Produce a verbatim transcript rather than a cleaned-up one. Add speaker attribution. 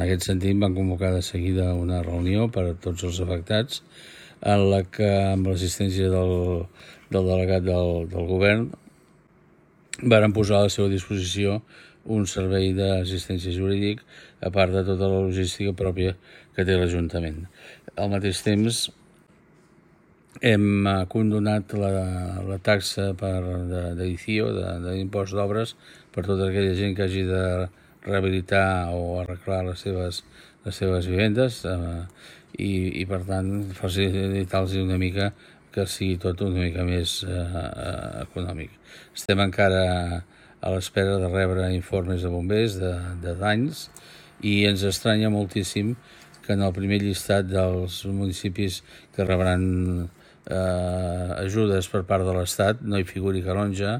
Speaker 1: aquest sentit van convocar de seguida una reunió per a tots els afectats en la que, amb l'assistència del, del delegat del, del govern, varen posar a la seva disposició un servei d'assistència jurídic, a part de tota la logística pròpia que té l'Ajuntament. Al mateix temps, hem condonat la, la taxa per d'edició, d'impost d'obres, per tota aquella gent que hagi de rehabilitar o arreglar les seves, les seves vivendes eh, i, i, per tant, facilitar-los una mica que sigui tot una mica més eh, econòmic. Estem encara a l'espera de rebre informes de bombers de, de danys i ens estranya moltíssim que en el primer llistat dels municipis que rebran eh, ajudes per part de l'Estat no hi figuri Calonge